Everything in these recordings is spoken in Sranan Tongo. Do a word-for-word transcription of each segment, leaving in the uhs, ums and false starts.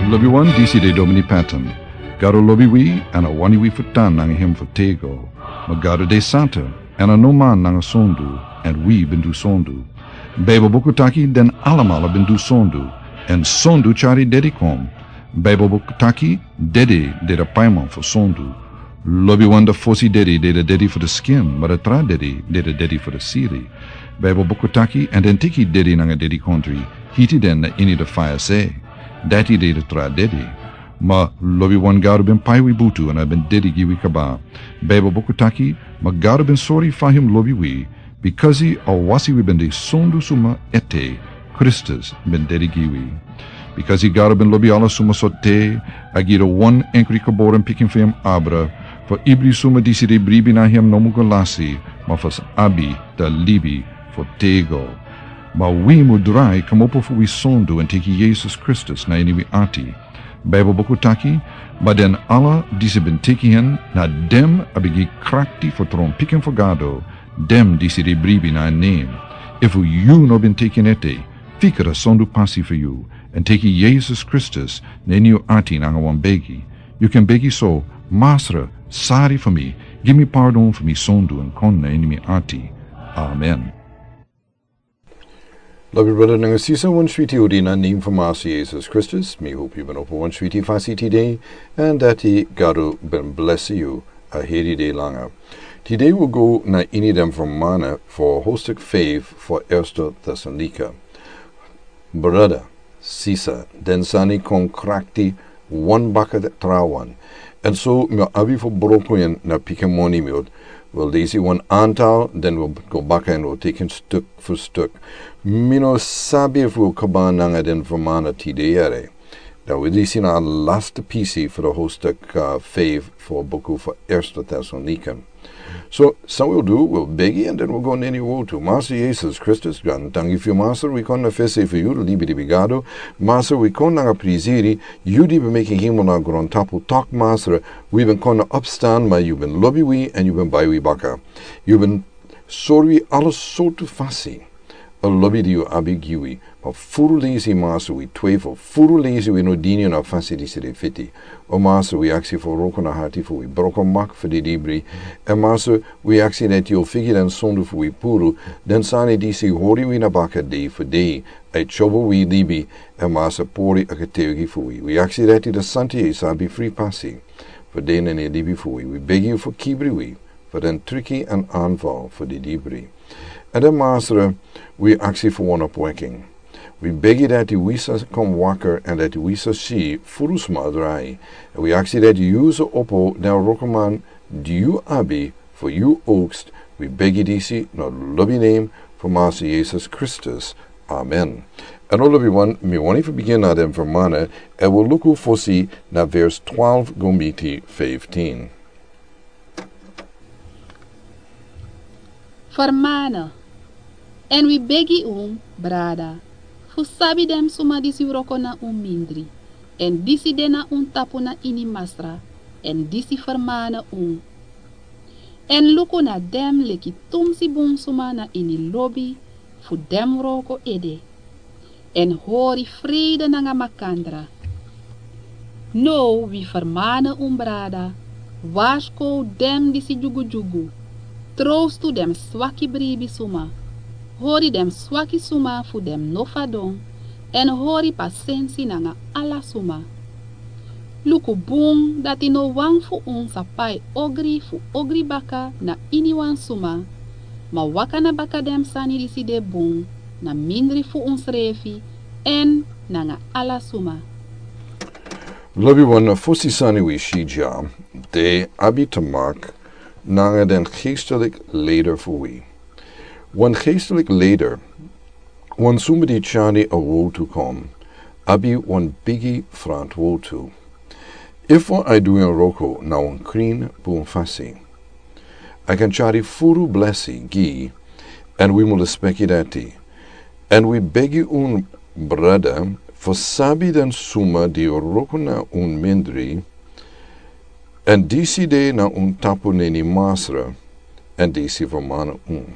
Lobiwan, disi de Domini Patton. Gado lobi wi, èn a wani wi fu tan nanga hem fu tego. Ma Gado de santa, èn a no man nanga sondu, èn wi ben du sondu. Baibel buku taki den alamala ben du sondu, èn sondu tyari dedi kon. Baibel buku taki dedi de da paiman fu sondu. Lobiwan, da fosi dedi de da dedi fu da skin, ma da tra dedi de da dedi fu da siri. Baibel buku taki, èn den teki dedi nanga dedikondri, hiti den na ini da faya se. Dati de da tra dedi. Ma lobiwan, Gado ben pai wi butu èn a ben dedi gi wi kaba. Baibel buku taki, ma Gado ben sori fa hem lobi wi, bikasi a wasi wi ben de sondu suma ete, Kristus ben dedi gi wi. Bikasi Gado ben lobi ala suma so te, a gi da wan enkri geboren pikin fu hem abra, fu ibri suma disi de bribi na hem no mu go lasi, ma fu sa abi da libi fu tego. Ma wi mu drai kmopo fu wi sondu èn teki Yesus Kristus na ini wi ati. Baibel buku taki, ma den ala disi ben teki hen, na dem a ben gi krakti fu tron pikin fu Gado, dem disi de bribi na en nen. Efu yu no ben teki en ete, fika da sondu pasi fu yu, èn teki Yesus Kristus na ini yu ati nanga wan begi. Yu kan begi so, Masra, sari fu mi, gi mi pardon fu mi sondu èn kon na ini mi ati. Amen. Lobi brada nanga sisa, wan switi odi na nen fu Masra Yesus Kristus. Mi hopi yu ben opo wan switi fasi tide, èn dati Gado ben blesi yu a heri dei langa. Tide wi go na ini den fermana fu hostuk feifi fu Erste Tesalonika. Brada, sisa, den sani kon krakti wan baka trawan. Èn so mi o abi fu broko en na pikin moni, mi o, wi o lesi wan antal, den wi o go baka èn wi o teki en stuk fu stuk. Mi no sabi efu wi o kaba nanga den fermana tide yere. Dan wi lesi na a laste pisi fu da hostuk, uh, feifi fu a buku fu Erste Tesalonika. So san wi o du, wi o begi èn den wi o go na ini wortu. Masra Yesus Kristus, grantangi fu yu Masra, wi kon na fesi fu yu, libidi bigado. Masra, wi kon nanga prisiri, yu di ben meki hemel nanga grontapu, taki Masra, wi ben kon na opstan, ma yu ben lobi wi èn yu ben bai wi baka. Yu ben sori wi ala sortu fasi a lobi di yu abi gi wi. Ma furu lesi Masra wi twijfel, furu lesi wi no dini yu na fasi disi de fiti. O Masra, wi aksi fu wroko na hati fu wi, broko mak fu didibri. Èn Masra, wi aksi dati yu o figi den sondu fu wi puru, den sani disi hori wi na baka dei fu dei, a e tyobo wi libi, èn Masra, pori a getuigi fu wi. Wi aksi dati den santa yeye sa abi fri pasi fu de na ini libi fu wi. Wi begi yu fu kibri wi fu den triki èn anval fu didibri. Èn dan Masra, wi aksi fu wan opweki. Wi begi dati wi sa kon wakker èn dati wi sa si furu sma drai. Èn wi aksi dati yu sa opo den wrokoman di yu abi fu yu oogst. Wi begi disi na lobi nen fu Masra Yesus Kristus. Amen. Èn o lobiwan, mi wani fu bigin na den fermana, èn wi o luku fosi na vers twaalf go miti fifteen. Fermana. Èn wi begi un, brada, fu sabi den suma disi wroko na un mindri, èn disi de na un tapu na ini Masra, èn disi fermana un. Èn luku na den leki tumsi bun suma na ini lobi fu den wroko ede. Èn hori frede nanga makandra. Now wi fermana un, brada, warskow den disi dyugudyugu, trowstu den swaki bribi suma, hori den swaki suma fu den no fadon, èn hori pasensi nanga ala suma. Luku bun dati no wan fu un sa pai ogri fu ogri baka na ini wan suma, ma waka na baka den sani disi de bun, na mindri fu unsrefi èn nanga ala suma. Lobiwan, fosi sani wi si dya, de abi te maki nanga den geestelik leider fu wi. Wan geestelik leider, wan suma di tyari a wortu kon, abi wan bigi frantwortu. Efu a e du en wroko na wan krin bun fasi, a kan tyari furu blesi gi, èn wi mu lespeki dati. Èn wi begi un, brada, fu sabi den suma di wroko na un mindri, èn disi de na un tapu na ini Masra, èn disi fermana un.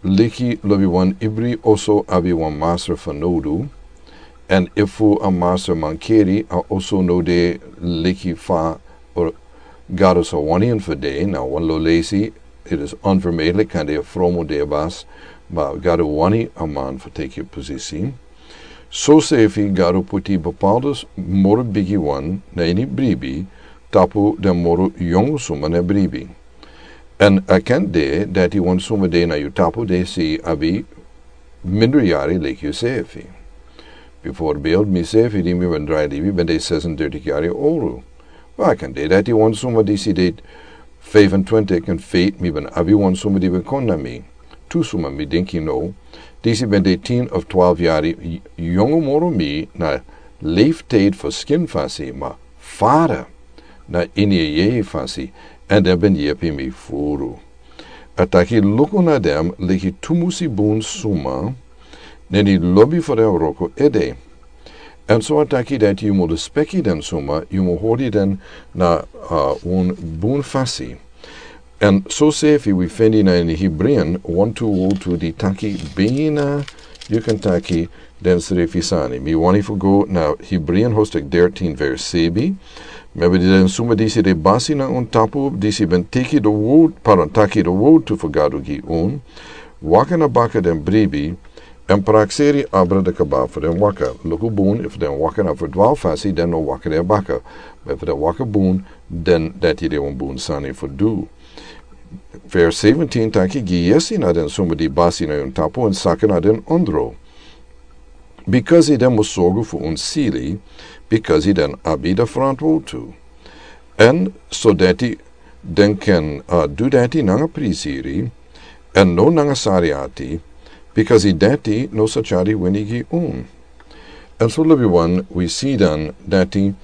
Leki lobiwan, ibri oso abi wan masra fanowdu, Èn efu a master mankeri, a oso no de leki fa, or Gado sa wani en fu de, na wan lo leisi, it is unvermijdelijk, kande a fromu de basi, ma Gado wani a man fu teki posisi. Soseefi Gado puti bepaalde moro bigi wan na ini bribi, tapu den moro yongu suma na bribi. Èn a kan de dati wan suma de na yu tapu disi abi minderjari leki yuseefi. Bijvoorbeeld miseefi di mi ben drai libi ben de zesendertig yari owru. Ma a kan de dati wan suma disi de vijfentwintig, in feite mi ben abi wan suma di ben kon na mi. Tu suma mi denki no. Disi ben de tien of twaalf yari yongu moro mi na leeftijd fu skin fasi, ma fara na ini a yeye fasi, èn den ben yepi mi furu. A taki luku na den leki tu musi bun suma, neni lobi fu den wroko ede. Èn so a taki dati yu mu lespeki den suma, yu mu hori den na, uh, un bun fasi. Èn soseefi wi feni na ini Hebreeën wan tu owru di taki bina, yu kan taki den srefi sani. Mi wani fu go na Hebreeën hoofdstuk dertien vers sebi. Member di den suma disi de basi na un tapu, disi ben teki de owru, pardon, taki de owru fu Gado gi un. Waka na baka den bribi, èn prakseri abra de kaba fu den waka. Luku bun, efu den waka na ferdwaal fasi, den no waka de baka. Ma efu den waka bun, den dati de un bun sani fu du. Vers zeventien taki gi yesi na den suma di basi na un tapu èn saka na den ondro. Bikasi den mu sorgu fu un sili, bikasi den abi de frantwotu. Èn so dati den kan, uh, du dati nanga prisiri, èn no nanga sari ati, bikasi dati no sa tyari wini gi un. Èn so libi wan wi si dan dati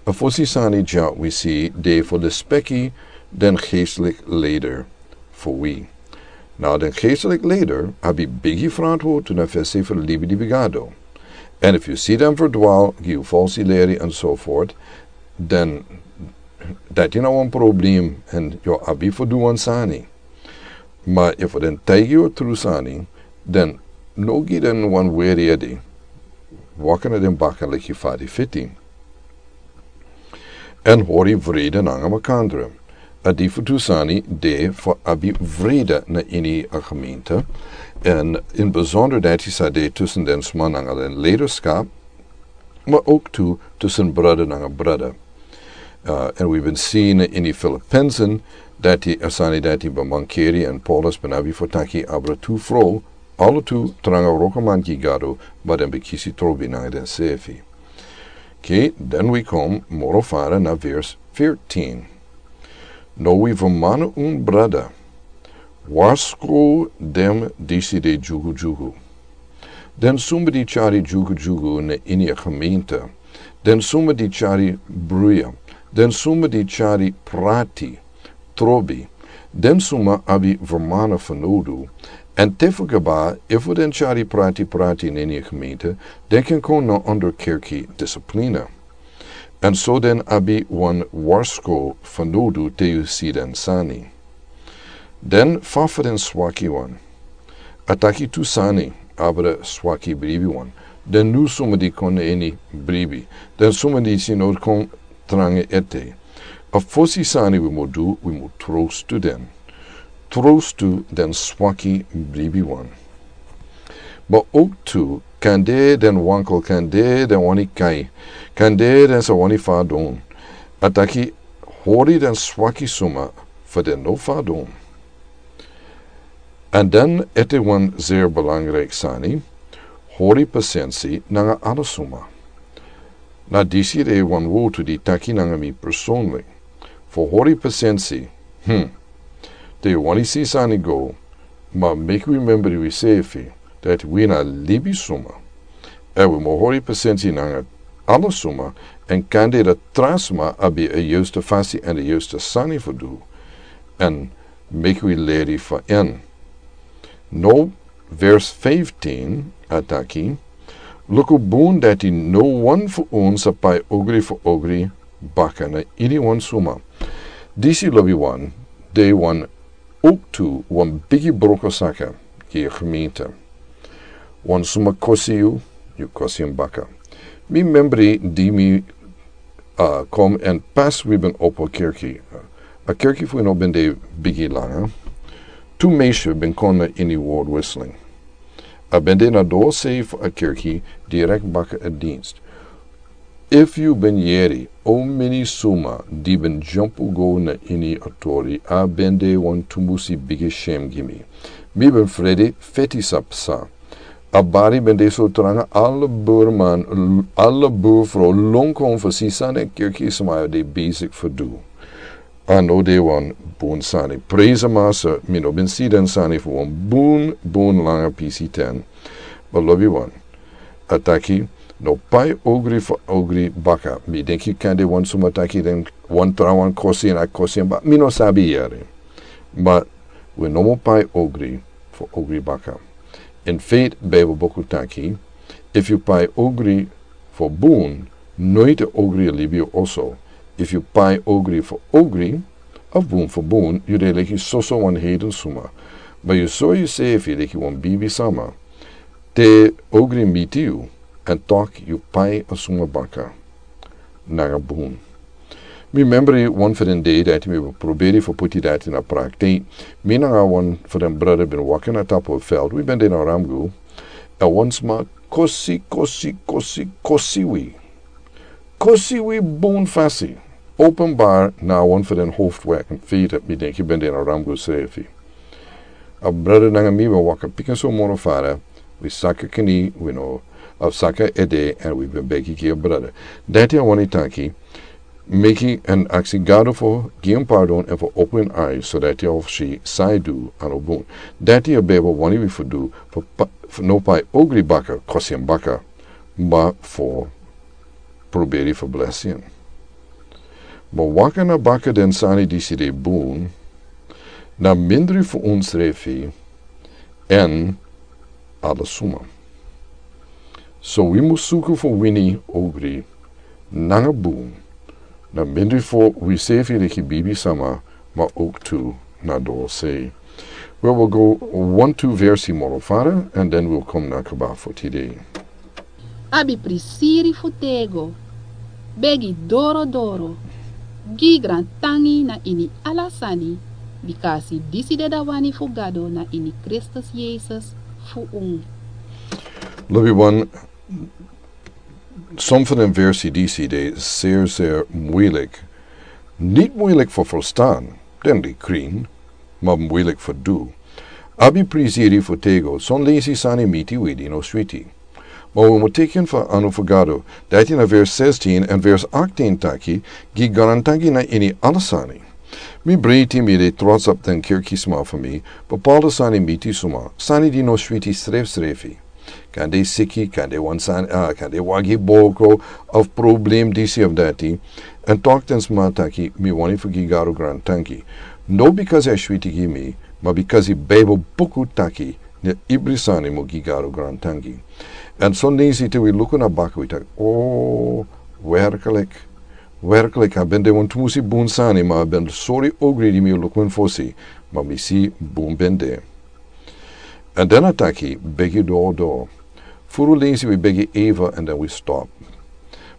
a fosi sani dya wi si de fu lespeki den geestelijk leider fu wi. Na den geestelijk leider abi bigi frantwotu na fesi fu libi di bigado. Èn efu yu si den ferdwaal, gi yu falsi leri èn so voort, dan dati na wan problem èn yu abi fu du wan sani. Ma efu den taigi yu a tru sani, dan no gi den wan weri ede. Waka na den baka leki fa di fiti. Èn hori vrede nanga makandra. A difu tu sani de fu abi vrede na ini a gemeente. Èn in bijzonder dati sa de tussen den sma nanga den leiderschap, ma ook tu tussen brada nanga brada. Uh, èn wi ben si na ini Filippenzen dati a sani dati ben mankeri èn Paulus ben abi fu taki abra tu fro, ala tu tranga wrokoman gi Gado, ma den ben kisi trobi nanga densefi. Oké, dan wi kon moro fara na vers veertien. No wi vermana un brada. Warsko den disi de dyugudyugu. Den suma di tyari dyugudyugu na ini a gemeente. Den suma di tyari bruya. Den suma di tyari prati. Trobi. Den suma abi vermana fanodu. Èn te fu kaba, efu den tyari prati prati na ini a gemeente, den kan kon na onder kerki discipline. Èn so den abi wan warsko fanodu te yu si den sani. Den fa fu den swaki wan. A taki tu sani, abra swaki bribi wan. Den nu suma di kon na ini bribi. Den suma di si no kon tranga ete. A fosi sani wi mu du, wi mu trostu den. Trostu den swaki bribi wan. Ma ook tu, kande den wankel, kande den wani kai, kande den sa wani fadon. A taki hori den swaki suma, fu den no fadon. Èn dan ete wan zeer belangrijk sani, hori pasensi nanga ala suma. Na disi de wan wotu di taki nanga mi persoonlijk. Fu hori pasensi, hmm. Te yu wani si sani go, ma meki wi member wi sefi, dati wi na libi suma. Èn wi mu hori pasensi nanga ala suma, èn kande den tra sma abi a yuiste fasi èn a yuiste sani fu du. Èn meki wi leri fu en. No, vers vijftien, a taki, luku bun dati no wan fu un sa pai ogri fu ogri baka na ini wan suma. Disi lobi wan, de wan ook tu wan bigi broko saka, gi a gemeente. Wan suma kosi yu, yu kosi en baka. Mi membri di mi, a, kom en pas wi ben opo kerki. A kerki fu wi no ben de bigi langa. Tu meisje ben kon na ini word whisling. A ben de na dosei fu a kerki direk baka a dienst. Efu yu ben yeri o meni suma di ben jumpu go na ini a tori, a ben de wan tumusi bigi shem gi mi. Mi ben frede feti sa psa. A bari ben de so tranga, ala burman, ala burfro lon kon fu si sani a kerki sma de bezig fu du. A no de wan bun sani. Praise a Masa, mi no ben si den sani fu wan bun, bun langa pisi ten. Ma lobi wan. A taki, no pai ogri fu ogri baka. Mi denki kande wan suma taki den wan tra wan kosi en a kosi en, ma mi no sabi yere. Ma wi no mu pai ogri fu ogri baka. In fact, Bijbel boku taki, efu yu pai ogri fu bun, noiti ogri e libi yu oso. Efu yu pai ogri fu ogri, of bun fu bun, yu de leki soso wan heiden suma. Ma yu sori yusefi leki wan bibi sama. Te ogri miti yu, en tok yu pai a suma baka. Nanga bun. Mi membri wan fu den dei dati mi ben proberi fu puti dati na praktik. Mi nanga wan fu den brada ben waka na tapu a veld. Wi ben de na Ramgu. A wan sma kosi, kosi, kosi, kosi wi. Kosi wi bun fasi. Openbaar na wan fu den hoofdweg. Fi dati mi denki ben de na Ramgu srefi. A brada nanga mi ben waka pikin so moro fara, wi saka kini, wi no, a saka ede, en wi ben begi gi a brada. Dati a wani taki, meki en aksi Gado fu gi en pardon en fu opo en ai, so dati a fu si san a du a no bun. Dati a Bijbel wani wi fu du, fu pa-, fu no pai ogri baka, kosi en baka, ma fu proberi fu blesi en. Ma waka na baka den sani disi de bun, na mindri fu unsrefi, en ala suma. So wi mus suku fu wini ogri, nanga bun, na mindri fu wi sefi leki bibi sama, ma ook tu na dosei. We will go one, two versi moro fara, and then we'll come na kaba fu tide. Abi prisiri fu tego, begi doro doro, gi grantangi na ini ala sani, bika a si disi de a wani fu Gado na ini Kristus Yesus fu unu. Lobi wan, som fu den versi disi de zeer, zeer moeilijk. Niet moeilijk fu verstaan, den de krin, ma moeilijk fu du. Abi prisiri fu tego, son leisi sani miti wi di no switi. Ma wi mus teken fu anu fu Gado, dati na vers zestien en vers achttien taki, gi grantangi na ini ala sani. Mi breiti mi de trots op den kerki sma fu mi, bepaalde sani miti suma, sani di no switi srefsrefi. Kande siki, kande wan sani, ah, kande wagi boko, of problem disi of dati. En tok den sma taki, mi wani fu gi Gado grantangi. No because a switi gi mi, ma because a Bijbel buku taki, na ibri sani mus gi Gado grantangi. En son leisi te wi luku na baka wi taki, oh, werkelijk, werkelijk, a ben de wan tumusi bun sani, ma a ben sori ogri di mi luku en fosi, ma mi si bun ben de. En den a taki, begi doro doro. Furu leisi wi begi even en den wi stop.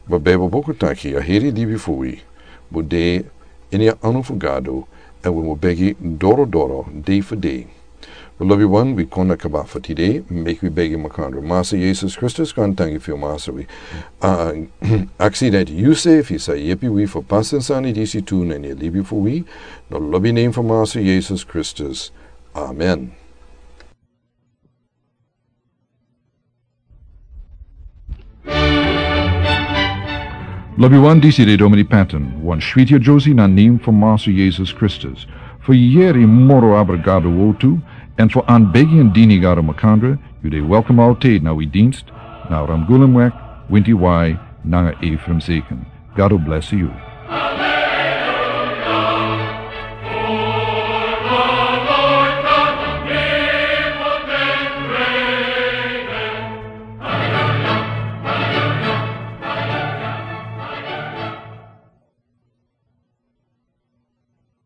Ma Bijbel boku taki, a heri libi fu wi mus de ini a anu fu Gado, en wi mus begi doro doro, dei fu dei. We lobi wan, wi kon na kaba fu tide, meki wi begi makandra. Masa Yesus Kristus, grantangi fu yu, Masa, wi, ah, aksi dati yu sefi sa yepi wi fu pasa den sani disi tu na ini a libi fu wi, na lobi nen fu Masa Yesus Kristus. Amen. Lobi wan, disi de Domini Patton, wan switi a Josie na nen fu Masa Yesus Kristus. Fu yeri moro abra Gado wortu, en fu anbegi en dini Gado makandra, yu de welkom altijd na wi dienst, na Ramgulemweg, winti wai, nanga Ephraim Zeken. Gado bless yu.